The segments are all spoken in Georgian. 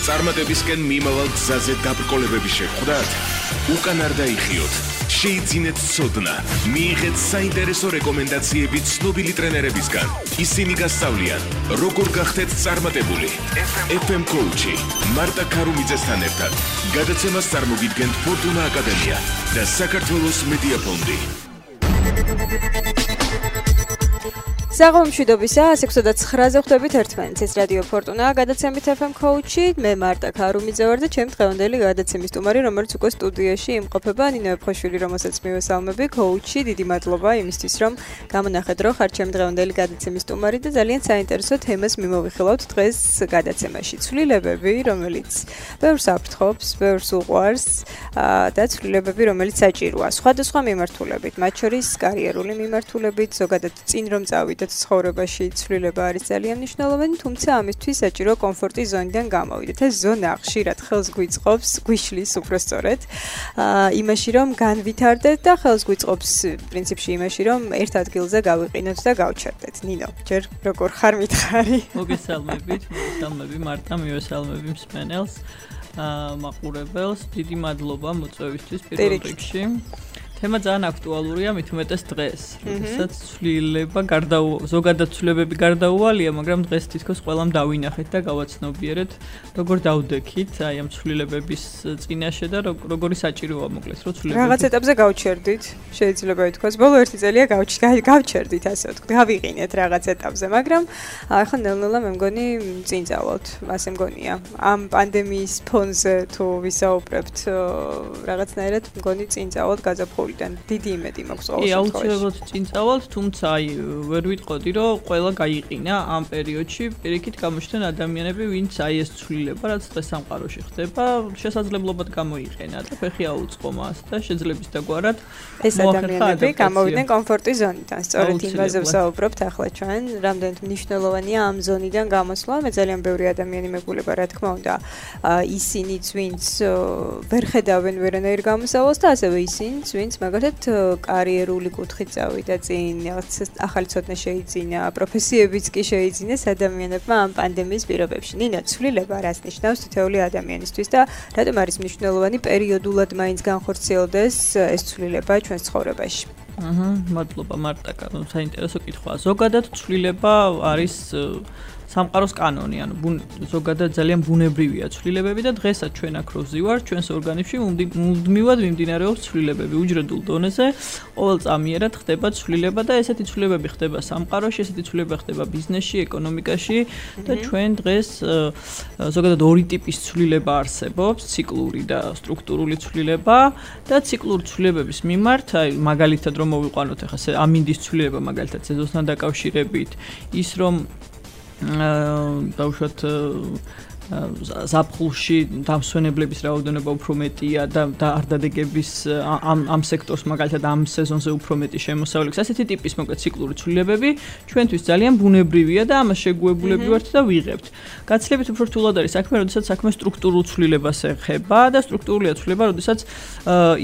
წარმატებისკენ მიმავალ გზაზე დაბრკოლებები შეხვდათ? უკან არ დაიხიოთ. შეიძინეთ ცოდნა, მიიღეთ საინტერესო რეკომენდაციები ცნობილი ტრენერებისგან. ისინი გასწავლიან, როგორ გახდეთ წარმატებული. FM Coach-ი მარტა ქარუმიძესთან ერთად გადაცემას წარმოგიდგენთ ფორტუნა აკადემია და საქართველოს მედია ფონდი. საღამომშვიდობისა 109-ზე ხვდებით ერთმანეთს. ეს რადიო ფორტუნა გადაცემით FM Coach-ი. მე მარტა ქარუმიძე ვარ და ჩემი დღევანდელი გადაცემის სტუმარი, რომელიც უკვე სტუდიაში იმყოფება, ნინო ეფხოშვილი, რომელსაც მივესალმები. Coach-ი, დიდი მადლობა იმისთვის, რომ გამონახეთ, რომ ხარ ჩემი დღევანდელი გადაცემის სტუმარი და ძალიან საინტერესო თემას მიმოვიხილავთ დღეს გადაცემაში. ცვლილებები, რომელიც ბევრს აფრთხობს, ბევრს უყვარს და ცვლილებები, რომელიც საჭიროა. სხვადასხვა მიმართულებით, მათ შორის კარიერული მიმართულებით, ზოგადად წინ რომ წავიდეთ ცხოვრებაში ცვლილება არის ძალიან მნიშვნელოვანი, თუმცა ამისთვის საჭირო კომფორტის ზონიდან გამოვიდეთ. ეს ზონა ხშირად ხელს გვიწყობს, გვიშლის უბრალოდ იმაში, რომ განვითარდეთ და ხელს გვიწყობს პრინციპში იმაში, რომ ერთ ადგილზე გავიყინოთ და გავჩერდეთ. ნინო, ჯერ როგორ ხარ მითხარი? მოგესალმებით, მარტა, მივესალმები მსმენელს, მაყურებელს, დიდი მადლობა მოწვევისთვის პირველ რიგში. თემა ძალიან აქტუალურია, მით უმეტეს დღეს, როდესაც ცვლილება ზოგადად ცვლილებები გარდაუვალია, მაგრამ დღეს თითქოს ყველამ დავინახეთ და გავაცნობიერეთ, როგორ დავდექით აი ამ ცვლილებების წინაშე და როგორი საჭიროა მოკლედ, რომ ცვლილებები რაღაც ეტაპზე გავჩერდით, შეიძლება ითქვას, ბოლო ერთი წელია გავჩერდით, ასე ვთქვით, გავიყინეთ რაღაც ეტაპზე, მაგრამ ახლა ნელ-ნელა მე მგონი წინ წავალთ, ასე მგონია. ამ პანდემიის ფონზე თუ ვისაუბრებთ, რაღაცნაირად მგონი წინ წავალთ გაზაფხული. დიდი იმედი მაქვს ყოველ შემთხვევაში. აუცილებლად წინ წავალთ, თუმცა ვერ ვიტყოდი, რომ ყველა გაიყინა ამ პერიოდში. პირიქით გამოჩნდნენ ადამიანები, ვინც ეს ცვლილება, რაც დღეს სამყაროში ხდება, შესაძლებლობად გამოიყენა და ფეხი აუწყო მას და შეძლებს დაგვარად ეს ადამიანები გამოვიდნენ კომფორტის ზონიდან. სწორედ იმაზე ვსაუბრობთ ახლა ჩვენ, რამდენად მნიშვნელოვანია ამ ზონიდან გამოსვლა. მე ძალიან ბევრი ადამიანი მეგულება, რა თქმა უნდა, ისინიც, ვინც ვერ ხედავენ ვერანაირ გამოსავალს და ასევე ისინიც, ვინც მაგალითად კარიერული კუთხით წავიდა წინ, ახალი ცოდნა შეიძინა, პროფესიებიც კი შეიძინეს ადამიანებმა ამ პანდემიის პირობებში. ნინო, ცვლილება რას ნიშნავს თითოეული ადამიანისთვის და რატომ არის მნიშვნელოვანი პერიოდულად მაინც განხორციელდეს ეს ცვლილება ჩვენს ცხოვრებაში? მადლობა მარტა, საინტერესო კითხვაა. ზოგადად ცვლილება არის სამყაროს კანონი, ანუ ზოგადად ძალიან ბუნებრივია ცვლილებები და დღესაც ჩვენ აქ რო ვზივართ, ჩვენს ორგანიზმში მუდმივად მიმდინარეობს ცვლილებები უჯრედულ დონეზე, ყოველწამიერად ხდება ცვლილება და ესეთი ცვლილებები ხდება სამყაროში, ესეთი ცვლილება ხდება ბიზნესში, ეკონომიკაში და ჩვენ დღეს ზოგადად ორი ტიპის ცვლილება არსებობს, ციკლური და სტრუქტურული ცვლილება და ციკლური ცვლილებების მიმართ, აი მაგალითად რომ მოვიყვანოთ ახლა ამინდის ცვლილება მაგალითად სეზონთან დაკავშირებით, ის რომ დავუშვათ ზაფხულში დამსვენებლების რაოდენობა უფრო მეტია და არ დადეგების ამ სექტორს მაგალითად ამ სეზონზე უფრო მეტი შემოსავლების ასეთი ტიპის მოკლედ ციკლური ცვლილებები ჩვენთვის ძალიან ბუნებრივია და ამას შეგუებულები ვართ და ვიღებთ. გაცილებით უფრო რთულად არის საქმე, როდესაც საქმე სტრუქტურულ ცვლილებას ეხება და სტრუქტურულია ცვლილება, როდესაც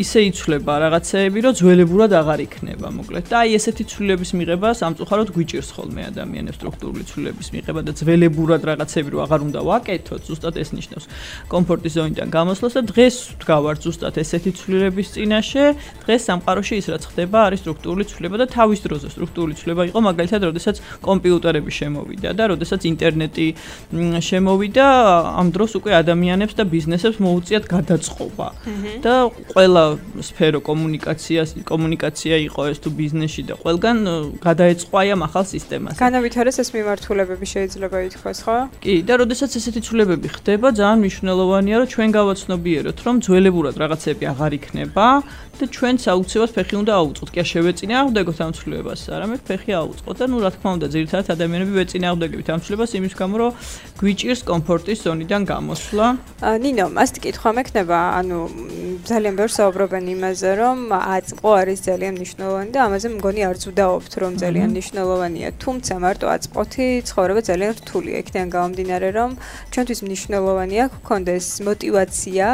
ისე იცვლება რაღაცეები, რომ ძველებურად აღარ იქნება მოკლედ. და აი ესეთი ცვლილების მიღება სამწუხაროდ გვიჭირს ხოლმე ადამიანებს სტრუქტურული ცვლილების მიღება და ძველებურად რაღაცეები რო აღარ უნდა ვაკეთოთ. ზუსტად ეს ნიშნავს კომფორტის ზონიდან გამოსვლას და დღეს ვდგავართ ზუსტად ესეთი ცვლილების წინაშე. დღეს სამყაროში ის რაც ხდება არის სტრუქტურული ცვლილება და თავის დროზე სტრუქტურული ცვლილება იყო მაგალითად როდესაც კომპიუტერები შემოვიდა და როდესაც ინტერნეტი შემოვიდა, ამ დროს უკვე ადამიანებს და ბიზნესებს მოუწიათ გადაწყობა. და ყველა სფერო კომუნიკაცია იყო ეს თუ ბიზნესში და ყველგან გადაეწყვა ამ ახალ სისტემას. განავითარეს ეს მიმართულებები შეიძლება ითქვას, ხო? კი, და როდესაც ესეთი ცვლილება ხდება, ძალიან მნიშვნელოვანია, რომ ჩვენ გავაცნობიეროთ, რომ ძველებურად რაღაცები აღარ იქნება და ჩვენც აუცილებლად ფეხი უნდა აუწყოთ. კი არ შევეწინააღმდეგოთ ამ ცვლილებას, არამედ ფეხი აუწყოთ და რა თქმა უნდა, ძირითადად ადამიანები ვეწინააღმდეგებით ამ ცვლილებას იმის გამო, რომ გვიჭირს კომფორტის ზონიდან გამოსვლა. ნინო, მასტ კითხვა მექნება, ანუ ძალიან ბევრს საუბრობენ იმაზე, რომ აწყო არის ძალიან მნიშვნელოვანი და ამაზე მგონი არც ვდაობთ, რომ ძალიან მნიშვნელოვანია. თუმცა მარტო აწყოთი ცხოვრება ძალიან რთულია. იქიდან გამომდინარე, რომ ჩვენთვის ჩვენთვის მნიშვნელოვანია გქონდეს მოტივაცია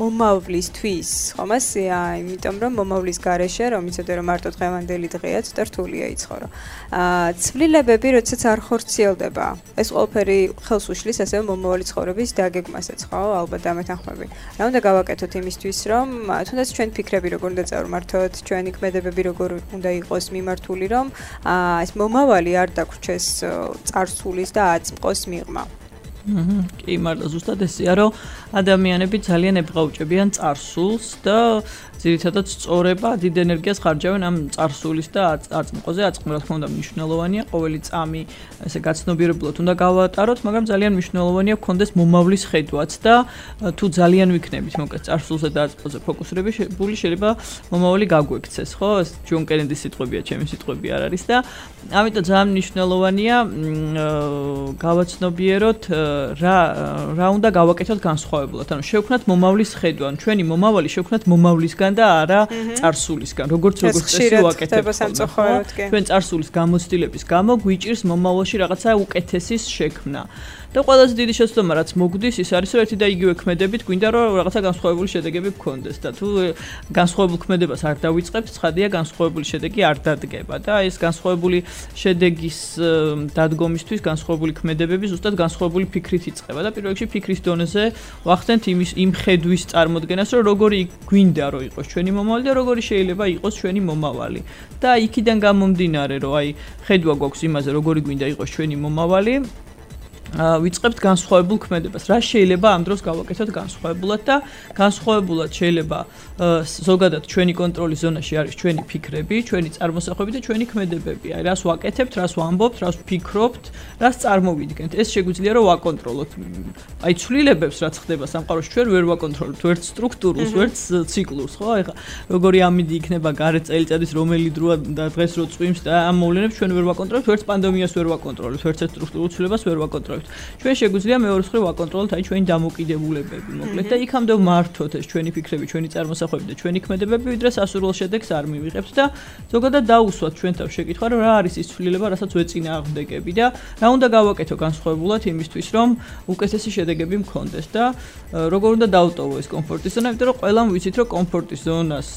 მომავლისთვის, ხომ ასეა, იმიტომ რომ მომავლის გარეშე, რომ იცოდე რომ მარტო დღევანდელი დღეა, ცოტა რთულია იცხოვრო. ცვლილებები, როდესაც არ ხორციელდება, ეს ყველაფერი ხელს უშლის ასევე მომავალი ცხოვრების დაგეგმასაც, ხო? ალბათ დამეთანხმები. რა უნდა გავაკეთოთ იმისთვის, რომ თუნდაც ჩვენ ფიქრები როგორ უნდა წავმართოთ, ჩვენი ქმედებები როგორ უნდა იყოს მიმართული, რომ ეს მომავალი არ დაგვრჩეს წარსულის და აწმყოს მიღმა. კი, მართლა ზუსტად ესეა, რომ ადამიანები ძალიან ებღაუჭებიან წარსულს და ძირითადად სწორება დიდ ენერგიას ხარჯავენ ამ წარსულის და აწმყოზე. აწმყო რა თქმა უნდა მნიშვნელოვანია, ყოველი წამი ესე გაცნობიერებლად უნდა გავატაროთ, მაგრამ ძალიან მნიშვნელოვანია გქონდეს მომავლის ხედვაც და თუ ძალიან ვიქნებით მოკლედ წარსულზე და აწმყოზე ფოკუსირებული, შეიძლება მომავალი გაგვექცეს, ხო? ეს ჯონ კენედის სიტყვებია, ჩემი სიტყვები არ არის და ამიტომ ძალიან მნიშვნელოვანია გავაცნობიეროთ რა უნდა გავაკეთოთ განსხვავებულად. ანუ შევქმნათ მომავლის ხედვა, ჩვენი მომავალი შევქმნათ მომავლისგან და არა წარსულისგან. როგორც წესი ვაკეთებთ. ჩვენ წარსულის გამოცდილების გამო გვიჭირს მომავალში რაღაცა უკეთესის შექმნა. და ყველაზე დიდი შეცდომა რაც მოგდის ის არის რომ ერთი და იგივე ქმედებით გვინდა რომ რაღაცა განსხვავებული შედეგები გქონდეს და თუ განსხვავებულ ქმედებას არ დავიწყებთ, ცხადია განსხვავებული შედეგი არ დადგება და ეს განსხვავებული შედეგის დადგომისთვის განსხვავებული ქმედებები ზუსტად განსხვავებული ფიქრით იწყება და პირველ რიგში ფიქრის დონეზე ვახდენთ იმ ხედვის წარმოდგენას რომ როგორი გვინდა რომ იყოს ჩვენი მომავალი და როგორი შეიძლება იყოს ჩვენი მომავალი და იქიდან გამომდინარე რომ აი ხედვა გვაქვს იმაზე როგორი გვინდა იყოს ჩვენი მომავალი ვიწყებთ განსხვავებულ ქმედებას. რა შეიძლება ამ დროს გავაკეთოთ განსხვავებულად და განსხვავებულად შეიძლება ზოგადად ჩვენი კონტროლის ზონაში არის ჩვენი ფიქრები, ჩვენი წარმოსახვები და ჩვენი ქმედებები. აი რას ვაკეთებთ, რას ვამბობთ, რას ვფიქრობთ, რას წარმოვიდგენთ. ეს შეგვიძლია რომ ვაკონტროლოთ. აი ცვლილებებს რაც ხდება სამყაროში ჩვენ ვერ ვაკონტროლებთ, ვერც სტრუქტურულს, ვერც ციკლურს, ხო? აი როგორი ამინდი იქნება გარეთ წელიწადის რომელი დროა და დღეს რო წვიმს და ამ მოვლენებს ჩვენ ვერ ვაკონტროლებთ, ვერც პანდემიას ვერ ვაკონტროლებთ, ვერც სტრუქტურულ ცვლილებას ვერ ვაკონტროლებთ. ჩვენ შეგვიძლია მეორე მხრივ ვაკონტროლოთ აი ჩვენი დამოკიდებულებები, მოკლედ და იქამდე ვმართოთ ეს ჩვენი ფიქრები, ჩვენი წარმოსახვები და ჩვენი ქმედებები, ვიდრე სასურველ შედეგს არ მივიღებთ და ზოგადად დაუსვათ ჩვენ თავს შეკითხვა, რომ რა არის ის ცვლილება, რასაც ვეწინააღმდეგები და რა უნდა გავაკეთო განსხვავებულად იმისთვის, რომ უკეთესი შედეგები მქონდეს და როგორ უნდა დავტოვო ეს კომფორტის ზონა, იმიტომ რომ ყველამ ვიცით, რომ комფორტის ზონას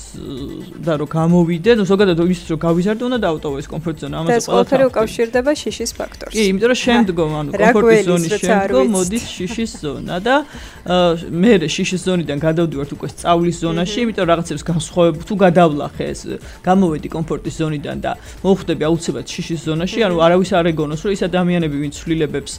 და რომ გამოვიდე, ზოგადად ის რომ გავიზარდე, უნდა დავტოვო ეს კომფორტის ზონა. ამაზე ყველაფერი უკავშირდება შიშის ფაქტორს. კი, იმიტომ რომ შემდგომ ანუ კომფორტის ზონის შემდგომ მოდის შიშის ზონა და მე შიშის ზონიდან გადავდივართ უკვე სწავლის ზონაში, იმიტომ რაღაცებს განსხვავებულ თუ გადავლახე ეს გამოვედი კომფორტის ზონიდან და მოვხვდები აუცილებლად შიშის ზონაში, ანუ არავის არ ეგონოს რომ ის ადამიანები ვინც ცვლილებებს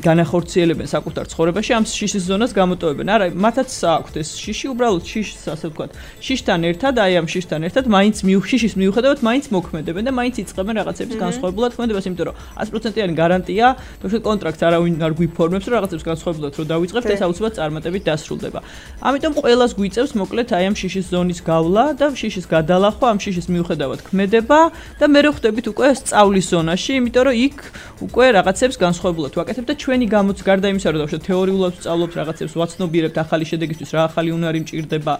განახორციელებენ საკუთარ ცხოვრებაში ამ შიშის ზონას გამოტოვებენ. არა, მათაც აქვთ ეს შიში, უბრალოდ შიშს ასე ვთქვათ, შიშთან ერთად, აი ამ შიშთან ერთად მაინც შიშის მიუხედავად მაინც მოქმედებენ და მაინც იწყებენ რაღაცების განსხვავებულად ქმედებას, იმიტომ რომ 100%-იანი გარანტია, თუ კონტრაქტს არავინ არ გვიფორმებს, რომ რაღაცებს განსხვავებულად რომ დავიწყებთ, ეს აუცილებლად წარმატებით დასრულდება. ამიტომ ყველას გვიწევს მოკლედ აი ამ შიშის ზონის გავლა და შიშის გადალახვა, ამ შიშის მიუხედავად ქმედება და მე ხვდებით უკვე სწავლის ზონაში, იმიტომ რომ იქ უკვე რაღაცებს განსხვავებულად ვაკეთებ და ჩვენი გამოც გარდა იმისა, რომ დავუშვათ თეორიულად ვსწავლობთ რაღაცებს, ვაცნობიერებთ ახალი შედეგისთვის, რა ახალი უნარი მჭირდება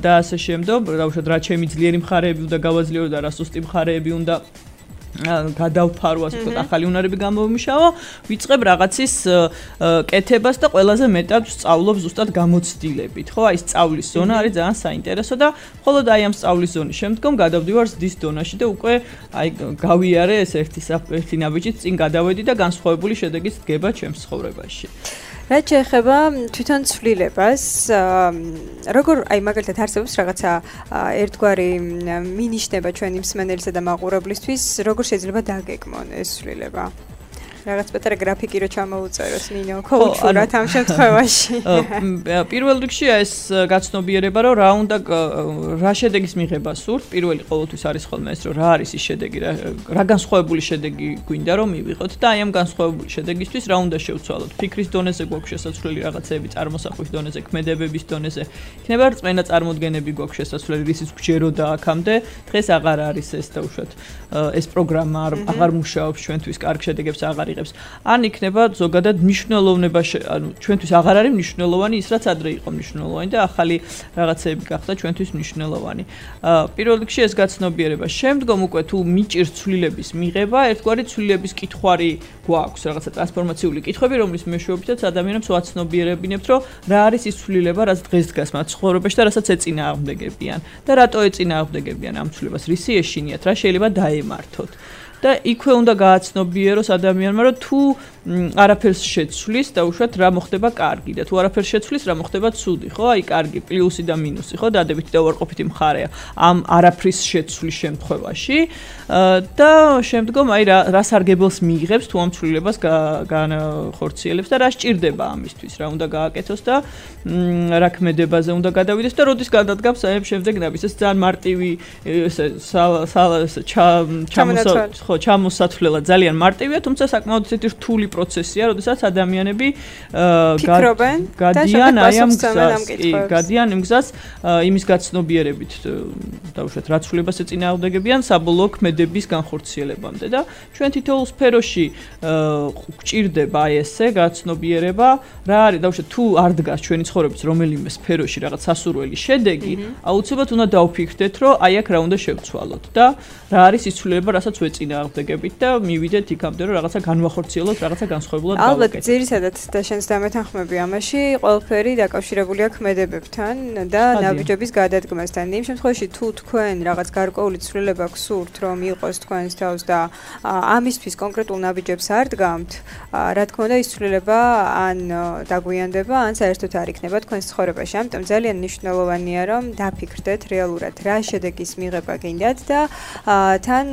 და ასე შემდგომ, დავუშვათ რა ჩემი ძლიერი მხარეები უნდა გავაძლიერო და რა სუსტი მხარეები უნდა გადავფარო, ასე ვთქვათ, ახალი უნარები გამოვიმუშავო, ვიწყებ რაღაცის კეთებას და ყველაზე მეტად ვსწავლობ ზუსტად გამოცდილებით, ხო? აი სწავლის ზონა არის ძალიან საინტერესო და მხოლოდ აი ამ სწავლის ზონის შემდგომ გადავდივარ ზრდის დონაში და უკვე აი გავიარე ეს ერთი ნაბიჯით წინ გადავედი და განსხვავებული შედეგის დგება ჩემს ცხოვრებაში. რაც შეეხება თვითონ ცვლილებას, როგორ აი მაგალითად არსებობს რაღაცა ერთგვარი მინიშნება ჩვენი მსმენელისა და მაყურებლისთვის, როგორ შეიძლება დაგეგმონ ეს ცვლილება? რაღაც პატარა გრაფიკი რო ჩამოუწეროს ნინო კოუჩურად ამ შემთხვევაში. პირველ რიგში ეს გაცნობიერება რომ რა შედეგის მიღება სურთ, პირველი ყოველთვის არის ხოლმე ეს რომ რა არის ის შედეგი, რა განსხვავებული შედეგი გვინდა რომ მივიღოთ და აი ამ განსხვავებული შედეგისთვის რა უნდა შევცვალოთ. ფიქრის დონეზე გვაქვს შესაძლებელი რაღაცეები, წარმოსახვის დონეზე, ქმედებების დონეზე. იქნება რწმენა წარმოდგენები გვაქვს შესაძლებელი, რისიც გვჯეროდა აქამდე, დღეს აღარ არის ეს და უშუალოდ ეს პროგრამა აღარ მუშაობს ჩვენთვის, კარგ შედეგებს აღარ აიღებს. ან იქნება ზოგადად მნიშვნელოვნება, ანუ ჩვენთვის აღარ არის მნიშვნელოვანი ის, რაც ადრე იყო მნიშვნელოვანი და ახალი რაღაცეები გახდა ჩვენთვის მნიშვნელოვანი. პირველ რიგში ეს გაცნობიერება. შემდგომ უკვე თუ მიჭირს ცვლილების მიღება, ერთგვარი ცვლილების კითხვარი გვაქვს, რაღაცა ტრანსფორმაციული კითხვები, რომლის მეშვეობითაც ადამიანებს ვაცნობიერებინებთ, რომ რა არის ის ცვლილება, რაც დღეს დგას მათ ცხოვრებაში და რასაც ეწინააღმდეგებიან და რატო ეწინააღმდეგებიან ამ ცვლილებას, რისი ეშინიათ, რა შეიძლება დაემართოთ. და იქვე უნდა გააცნობიეროს ადამიანმა, რომ თუ არაფერს შეცვლის და უშუალოდ რა მოხდება კარგი და თუ არაფერს შეცვლის რა მოხდება ცუდი, ხო? აი კარგი პლუსი და მინუსი, ხო? დადებითი და უარყოფითი მხარეა ამ არაფრის შეცვლის შემთხვევაში და შემდგომ აი რა სარგებელს მიიღებს თუ ამ ცვლილებას განხორციელებს და რა სჭირდება ამისთვის, რა უნდა გააკეთოს და რა ქმედებაზე უნდა გადავიდეს და როდის გადადგამს აი შემდეგ ნაბის ეს ძალიან მარტივი ჩამოსათვლელად ძალიან მარტივია, თუმცა საკმაოდ ისეთი რთული პროცესია, როდესაც ადამიანები გადიან აი ამ გზას იმის გაცნობიერებით დაუშვათ რა ცვლილებას ეწინააღმდეგებიან საბოლოო ქმედების განხორციელებამდე და ჩვენ თითოეულ სფეროში გვჭირდება აი ესე გაცნობიერება, რა არის დაუშვათ თუ არ დგას ჩვენი ცხოვრების რომელიმე სფეროში რაღაც სასურველი შედეგი, აუცილებლად უნდა დავფიქრდეთ, რომ აი აქ რა უნდა შევცვალოთ და რა არის ის ცვლილება, რასაც ვეწინააღმდეგებით და მივიდეთ იქამდე, რომ რაღაცა განვახორციელოთ, რაღაცა განსხვავებულად გავაკეთოთ. ალბათ ძირითადად და შენს დამეთანხმები ამაში ყველაფერი დაკავშირებულია ქმედებებთან და ნაბიჯების გადადგმასთან. იმ შემთხვევაში თუ თქვენ რაღაც გარკვეული ცვლილება გსურთ, რომ იყოს თქვენს თავს და ამისთვის კონკრეტულ ნაბიჯებს არ დგამთ, რა თქმა უნდა ის ცვლილება ან დაგვიანდება, ან საერთოდ არ იქნება თქვენს ცხოვრებაში. ამიტომ ძალიან მნიშვნელოვანია, რომ დაფიქრდეთ რეალურად რა შედეგის მიღება გინდათ და თან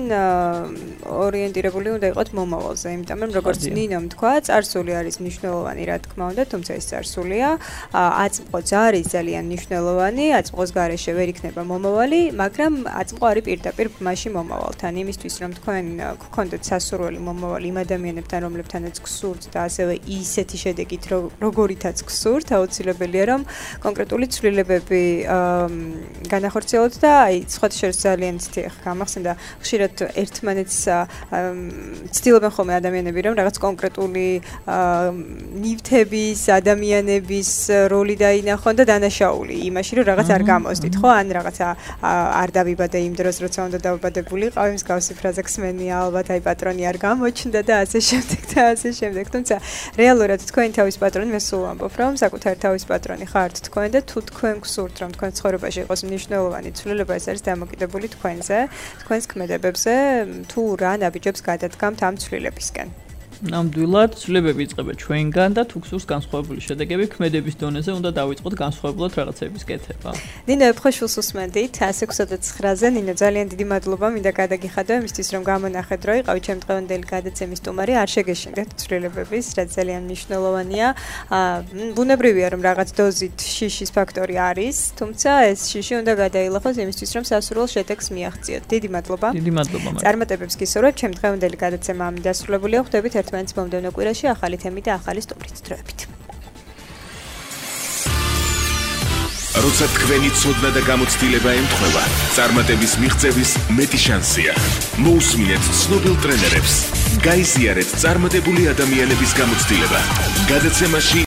ორიენტირებული უნდა იყოთ მომავალზე, იმიტომ რომ როგორც ნინომ თქვა, წარსული არის მნიშვნელოვანი, რა თქმა უნდა, თუმცა ეს წარსულია, აწმყოც არის ძალიან მნიშვნელოვანი, აწმყოს გარეშე ვერ იქნება მომავალი, მაგრამ აწმყო არის პირდაპირ მასში მომავალთან, იმისთვის რომ თქვენ გქონდეთ სასურველი მომავალი იმ ადამიანებთან, რომლებთანაც გსურთ და ასევე ისეთი შედეგით, როგორითაც გსურთ, აუცილებელია რომ კონკრეტული ცვლილებები განახორციელოთ და აი სხვათა შორის ძალიან ცივი გამახსენდა ხშირად ერთმანეთს ცდილობენ ხოლმე ადამიანები რომ რაღაც კონკრეტული ნივთების, ადამიანების როლი დაინახონ და დანაშაული იმაში რომ რაღაც არ გამოსდით, ხო? ან რაღაცა არ დავიბადე იმ დროს, როცა უნდა დავიბადებულიყავი, მსგავსი ფრაზა გსმენია, ალბათ აი პატრონი არ გამოჩნდა და ასე შემდეგ და ასე შემდეგ. თუმცა რეალურად თქვენი თავის პატრონი, მე სულ ვამბობ, რომ საკუთარი თავის პატრონი ხართ თქვენ და თუ თქვენ გსურთ, რომ თქვენ ცხოვრებაში იყოს მნიშვნელოვანი ცვლილება, ეს არის დამოკიდებული თქვენზე, თქვენს ქმედებებზე, თუ რა ნაბიჯებს გადადგამთ ამ ცვლილებისკენ. ნამდვილად ცვლილებები იწყება ჩვენგან და თუ გსურს განსხვავებული შედეგები ქმედების დონეზე უნდა დავიწყოთ განსხვავებულად რაღაცების კეთება. ნინო ეფხოშვილს უსმენდით 129-ზე. ნინო ძალიან დიდი მადლობა მინდა გადაგიხადო იმისთვის რომ გამონახეთ რომ იყავით ჩემ დღევანდელი გადაცემის სტუმარი, არ შეგეშინდეთ ცვლილებების, რაც ძალიან მნიშვნელოვანია. ბუნებრივია რომ რაღაც დოზით შიშის ფაქტორი არის, თუმცა ეს შიში უნდა გადაილახოს იმისთვის რომ სასურველ შედეგს მიაღწიოთ. დიდი მადლობა. დიდი მადლობა. წარმატებებს გისურვებთ. ჩემ დღევანდელი გადაცემა ამ დასრულებულია. ხვდებით ერთმანეთს მომდევნო კვირაში ახალი თემით და ახალი სტუმრით. დროებით. როცა თქვენი ცოდნა და გამოცდილება ემთხვევა, წარმატების მიღწევის მეტი შანსია. მოусმინეთ ცნობილ ტრენერებს. გაიზიარეთ წარმატებული ადამიანების გამოცდილება. გადაცემაში